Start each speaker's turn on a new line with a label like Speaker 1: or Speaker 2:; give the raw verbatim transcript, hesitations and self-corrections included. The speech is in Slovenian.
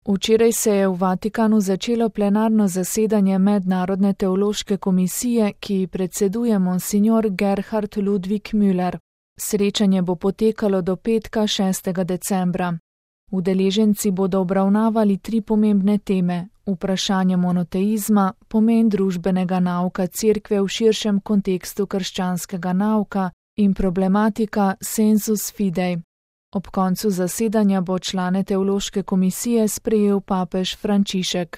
Speaker 1: Včeraj se je v Vatikanu začelo plenarno zasedanje Mednarodne teološke komisije, ki ji predseduje monsignor Gerhard Ludwig Müller. Srečanje bo potekalo do petka šestega decembra. Udeleženci bodo obravnavali tri pomembne teme: vprašanje monoteizma, pomen družbenega nauka Cerkve v širšem kontekstu krščanskega nauka in problematika sensus fidei. Ob koncu zasedanja bo člane teološke komisije sprejel papež Frančišek.